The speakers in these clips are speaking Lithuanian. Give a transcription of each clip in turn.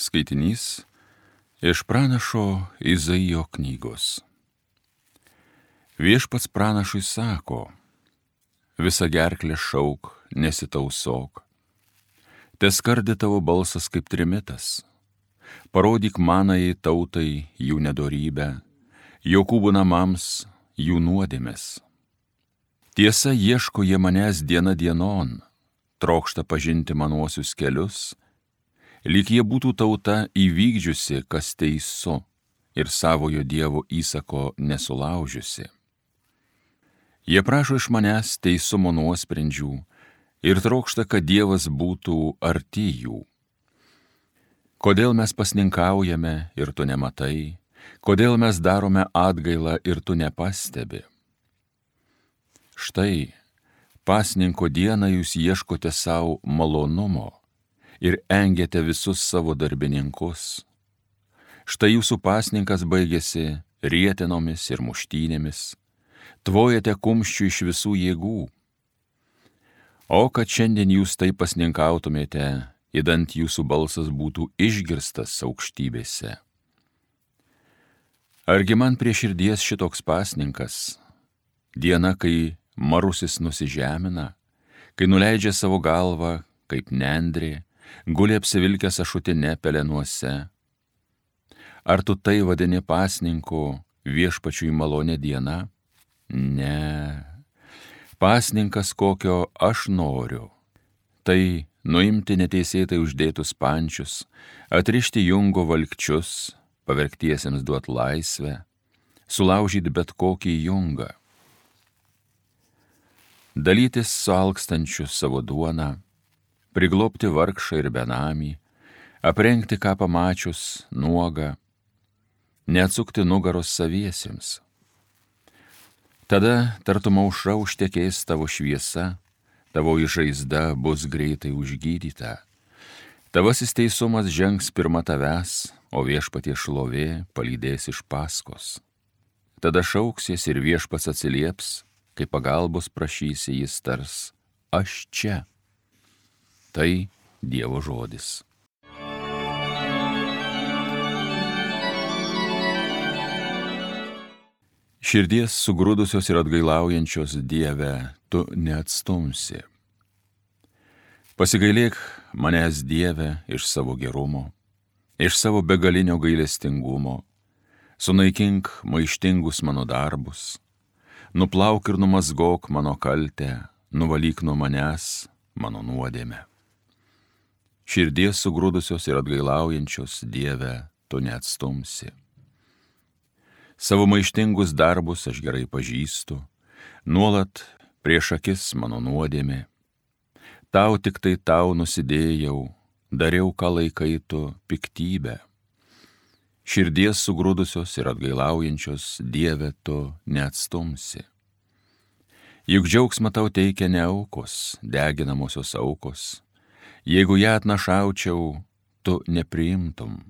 Skaitinys iš pranašo Izaijo knygos. Viešpats pranašui sako: visa gerklė šauk, nesitausok. Teskardi tavo balsas kaip trimitas. Parodyk manajai tautai jų nedorybę, Jokūbo namams jų nuodėmes. Tiesa, ieško jie manęs diena dienon, trokšta pažinti manuosius kelius, lyg jie būtų tauta įvykdžiusi, kas teisu, ir savojo Dievo įsako nesulaužiusi. Jie prašo iš manęs teisumo nuosprendžių ir trokšta, kad Dievas būtų arti jų. Kodėl mes pasninkaujame ir tu nematai, kodėl mes darome atgailą ir tu nepastebi? Štai, pasninko dieną jūs ieškote savo malonumo ir engiate visus savo darbininkus. Štai jūsų pasninkas baigėsi rietenomis ir muštynėmis, tvojate kumščių iš visų jėgų. O kad šiandien jūs taip pasninkautumėte, idant jūsų balsas būtų išgirstas aukštybėse. Argi man prie širdies šitoks pasninkas, diena, kai marusis nusižemina, kai nuleidžia savo galvą kaip nendrė, guli apsivilkęs ašutine pelenuose. Ar tu tai vadini pasninku viešpačiui malonė diena? Ne. Pasninkas, kokio aš noriu, tai nuimti neteisėtai uždėtus pančius, atrišti jungo valkčius, pavergtiesiems duot laisvę, sulaužyti bet kokį jungą. Dalytis su alkstančiu savo duoną, priglobti vargšą ir benamį, aprengti ką pamačius nuogą, neatsukti nugaros saviesiems. Tada tartum aušra užtekės tavo šviesa, tavo žaizda bus greitai užgydyta. Tavasis teisumas žengs pirma tavęs, o viešpaties šlovė palydės iš paskos. Tada šauksies ir viešpats atsilieps, kai pagalbos prašysi, jis tars: aš čia. Tai Dievo žodis. Širdies sugrūdusios ir atgailaujančios Dieve, tu neatstumsi. Pasigailėk manęs, Dieve, iš savo gerumo, iš savo begalinio gailestingumo, sunaikink maištingus mano darbus, nuplauk ir numazgok mano kaltę, nuvalyk nuo manęs mano nuodėmę. Širdies sugrūdusios ir atgailaujančios Dieve, tu neatstumsi. Savo maištingus darbus aš gerai pažįstu, nuolat prieš akis mano nuodėmė. Tau tik tai tau nusidėjau, dariau, ką laikai tu piktybę. Širdies sugrūdusios ir atgailaujančios Dieve, tu neatstumsi. Juk džiaugsmą tau teikia ne aukos, deginamosios aukos. Jeigu ją atnašaučiau, tu nepriimtum.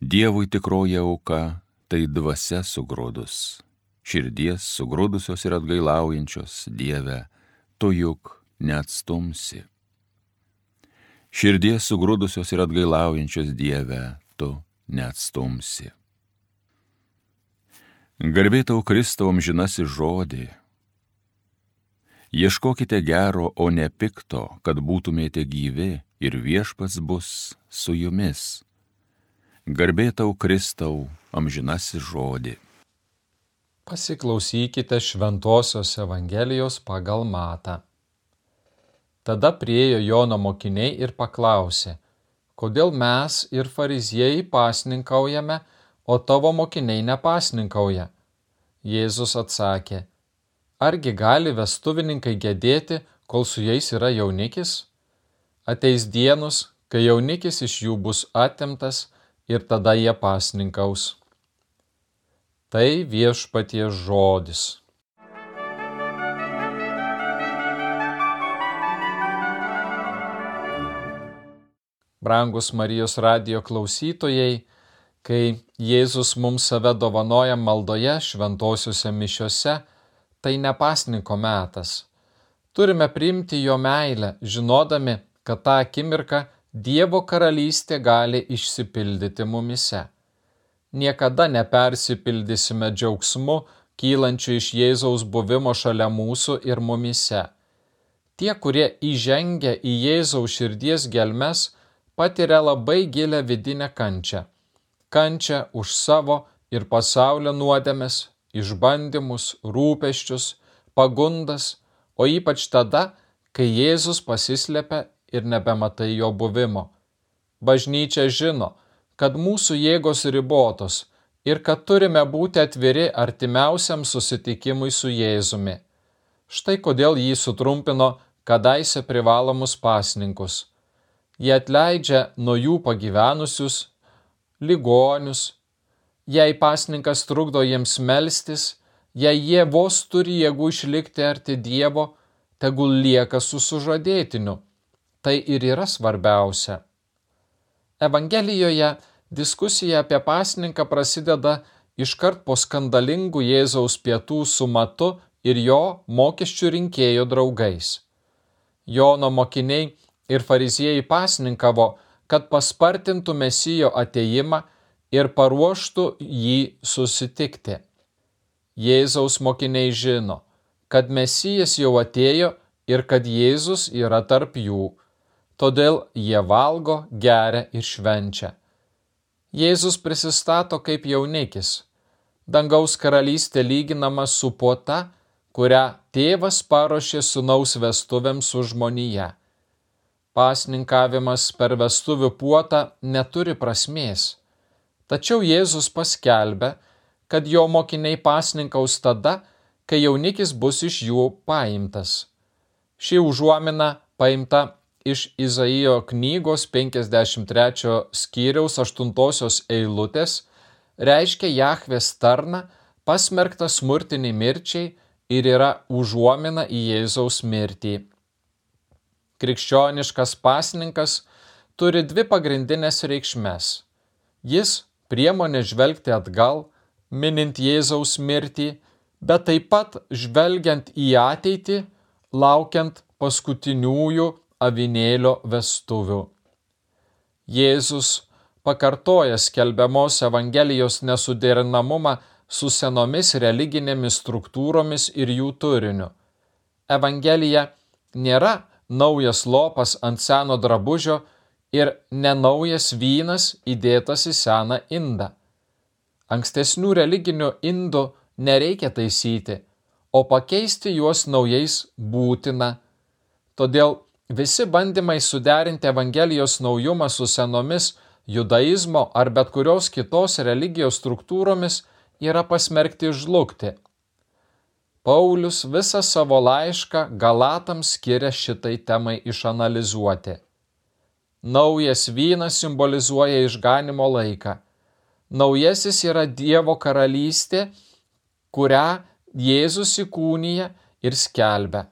Dievui tikroji auka, tai dvasia sugrūdus. Širdies sugrūdusios ir atgailaujančios Dieve, tu juk neatstumsi. Širdies sugrūdusios ir atgailaujančios Dieve, tu neatstumsi. Garbė tau, Kristau, amžinasis žodį. Ieškokite gero, o ne pikto, kad būtumėte gyvi, ir viešpats bus su jumis. Garbė tau, Kristau, amžinasis žodį. Pasiklausykite Šventosios Evangelijos pagal Matą. Tada priėjo Jono mokiniai ir paklausė: kodėl mes ir fariziejai pasninkaujame, o tavo mokiniai nepasninkauja? Jėzus atsakė: argi gali vestuvininkai gedėti, kol su jais yra jaunikis? Ateis dienos, kai jaunikis iš jų bus atimtas, ir tada jie pasninkaus. Tai viešpaties žodis. Brangus Marijos radijo klausytojai, kai Jėzus mums save dovanoja maldoje šventosiuose mišiose, tai ne pasninko metas. Turime priimti jo meilę, žinodami, kad tą akimirką Dievo karalystė gali išsipildyti mumise. Niekada nepersipildysime džiaugsmu, kylančiu iš Jėzaus buvimo šalia mūsų ir mumise. Tie, kurie įžengia į Jėzaus širdies gelmes, patiria labai gilę vidinę kančią. Kančią už savo ir pasaulio nuodėmes, išbandymus, rūpesčius, pagundas, o ypač tada, kai Jėzus pasislepia ir nebematai jo buvimo. Bažnyčia žino, kad mūsų jėgos ribotos ir kad turime būti atviri artimiausiam susitikimui su Jėzumi. Štai kodėl jį sutrumpino kadaise privalomus pasninkus. Jie atleidžia nuo jų pagyvenusius, ligonius. Jei pasninkas trukdo jiems melstis, jei jie vos turi jėgų išlikti arti Dievo, tegul lieka su sužadėtiniu. Tai ir yra svarbiausia. Evangelijoje diskusija apie pasninką prasideda iškart po skandalingų Jėzaus pietų su Matu ir jo mokesčių rinkėjų draugais. Jono mokiniai ir fariziejai pasninkavo, kad paspartintų Mesijo atėjimą ir paruoštų jį susitikti. Jėzaus mokiniai žino, kad Mesijas jau atėjo ir kad Jėzus yra tarp jų. Todėl jie valgo, geria ir švenčia. Jėzus prisistato kaip jaunikis. Dangaus karalystė lyginama su puota, kurią tėvas paruošė sūnaus vestuvėms su žmonija. Pasninkavimas per vestuvių puotą neturi prasmės. Tačiau Jėzus paskelbė, kad jo mokiniai pasninkaus tada, kai jaunikis bus iš jų paimtas. Ši užuomina paimta iš Izaijo knygos 53 skyriaus 8 eilutės, reiškia Jahvės tarną, pasmerktą smurtiniai mirčiai ir yra užuomina į Jėzaus mirtį. Krikščioniškas pasninkas turi dvi pagrindinės reikšmes. Jis priemonė žvelgti atgal, minint Jėzaus mirtį, bet taip pat žvelgiant į ateitį, laukiant paskutiniųjų avinėlio vestuvių. Jėzus pakartoja skelbiamos Evangelijos nesuderinamumą su senomis religinėmis struktūromis ir jų turiniu. Evangelija nėra naujas lopas ant seno drabužio ir nenaujas vynas įdėtas į seną indą. Ankstesnių religinių indų nereikia taisyti, o pakeisti juos naujais būtina. Todėl visi bandymai suderinti Evangelijos naujumą su senomis judaizmo ar bet kurios kitos religijos struktūromis yra pasmerkti žlugti. Paulius visą savo laišką Galatams skiria šitai temai išanalizuoti. Naujas vynas simbolizuoja išganymo laiką. Naujasis yra Dievo karalystė, kurią Jėzus įkūnija ir skelbia.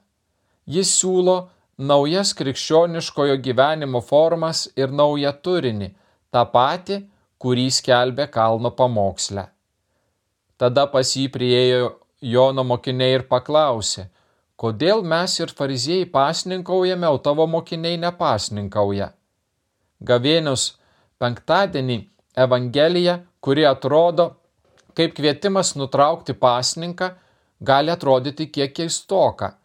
Jis siūlo naujas krikščioniškojo gyvenimo formas ir naują turinį, tą patį, kurį skelbė kalno pamoksle. Tada pas jį priėjo Jono mokiniai ir paklausė, kodėl mes ir fariziejai pasninkaujame, o tavo mokiniai nepasninkauja. Gavėnios penktadienį Evangelija, kuri atrodo kaip kvietimas nutraukti pasninką, gali atrodyti kiek keistoka.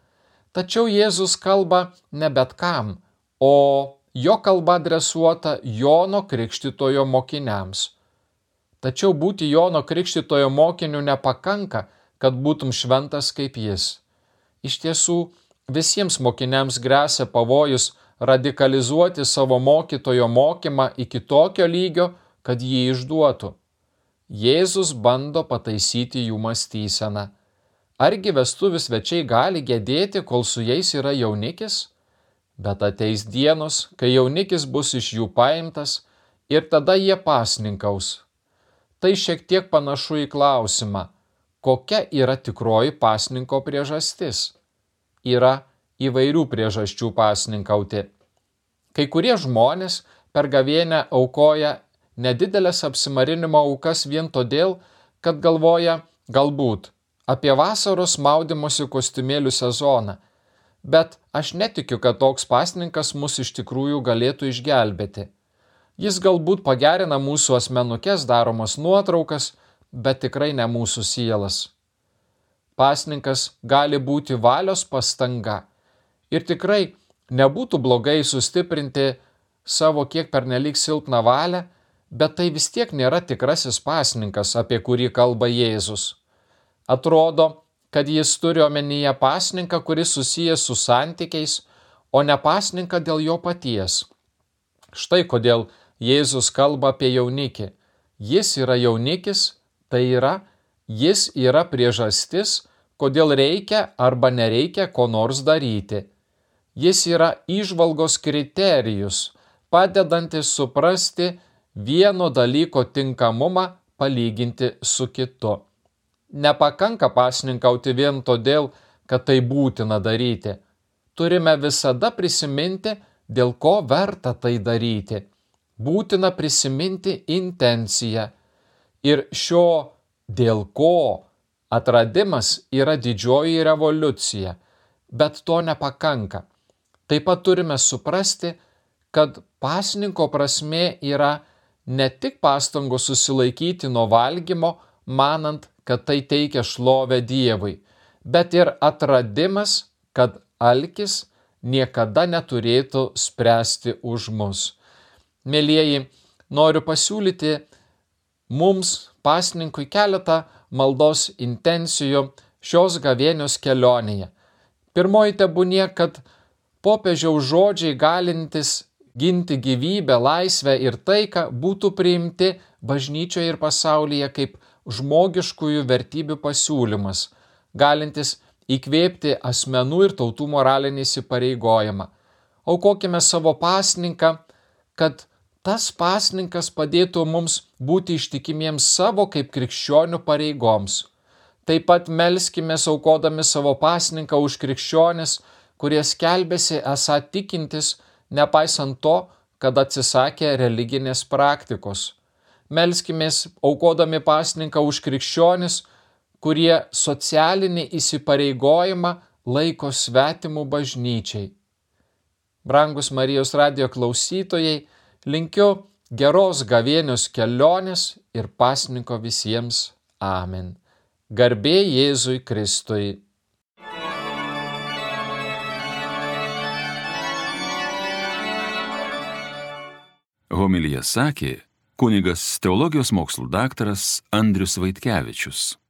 Tačiau Jėzus kalba ne bet kam, o jo kalba adresuota Jono Krikštytojo mokiniams. Tačiau būti Jono Krikštytojo mokiniu nepakanka, kad būtum šventas kaip jis. Iš tiesų, visiems mokiniams gresia pavojus radikalizuoti savo mokytojo mokymą iki tokio lygio, kad jį išduotų. Jėzus bando pataisyti jų mąstyseną. Argi vestuvių svečiai gali gedėti, kol su jais yra jaunikis? Bet ateis dienos, kai jaunikis bus iš jų paimtas ir tada jie pasninkaus. Tai šiek tiek panašu į klausimą, kokia yra tikroji pasninko priežastis. Yra įvairių priežasčių pasninkauti. Kai kurie žmonės per gavėnią aukoja nedidelės apsimarinimo aukas vien todėl, kad galvoja galbūt apie vasaros maudymosi kostiumėlių sezoną, bet Aš netikiu, kad toks pasninkas mus iš tikrųjų galėtų išgelbėti. Jis galbūt pagerina mūsų asmenukes daromas nuotraukas, bet tikrai ne mūsų sielas. Pasninkas gali būti valios pastanga ir tikrai nebūtų blogai sustiprinti savo kiek pernelyg silpną valią, bet tai vis tiek nėra tikrasis pasninkas, apie kurį kalba Jėzus. Atrodo, kad jis turi omenyje pasninką, kuris susijęs su santykiais, o ne pasninką dėl jo paties. Štai kodėl Jėzus kalba apie jaunikį. Jis yra jaunikis, tai yra, jis yra priežastis, kodėl reikia arba nereikia ko nors daryti. Jis yra įžvalgos kriterijus, padedantis suprasti vieno dalyko tinkamumą palyginti su kitu. Nepakanka pasninkauti vien todėl, kad tai būtina daryti. Turime visada prisiminti, dėl ko verta tai daryti. Būtina prisiminti intenciją. Ir šio dėl ko atradimas yra didžioji revoliucija, bet to nepakanka. Taip pat turime suprasti, kad pasninko prasmė yra ne tik pastangos susilaikyti nuo valgymo, manant, kad tai teikia šlovę Dievui, bet ir atradimas, kad alkis niekada neturėtų spręsti už mus. Mielieji, noriu pasiūlyti mums pasninkui keletą maldos intencijų šios gavėnios kelionėje. Pirmoji tebūnie, kad popiežiaus žodžiai galintis ginti gyvybę, laisvę ir taiką būtų priimti bažnyčioje ir pasaulyje kaip žmogiškųjų vertybių pasiūlymas, galintis įkvėpti asmenų ir tautų moralinį įsipareigojimą. Aukokime savo pasninką, kad tas pasninkas padėtų mums būti ištikimiems savo kaip krikščionių pareigoms. Taip pat melskimės aukodami savo pasninką už krikščionis, kurie skelbėsi esą tikintis, nepaisant to, kad atsisakė religinės praktikos. Melskimės aukodami pasninką už krikščionis, kurie socialinį įsipareigojimą laiko svetimų bažnyčiai. Brangus Marijos radijo klausytojai, linkiu geros gavėnios kelionės ir pasninko visiems. Amen. Garbė Jėzui Kristui. Homiliją sakė kunigas teologijos mokslų daktaras Andrius Vaitkevičius.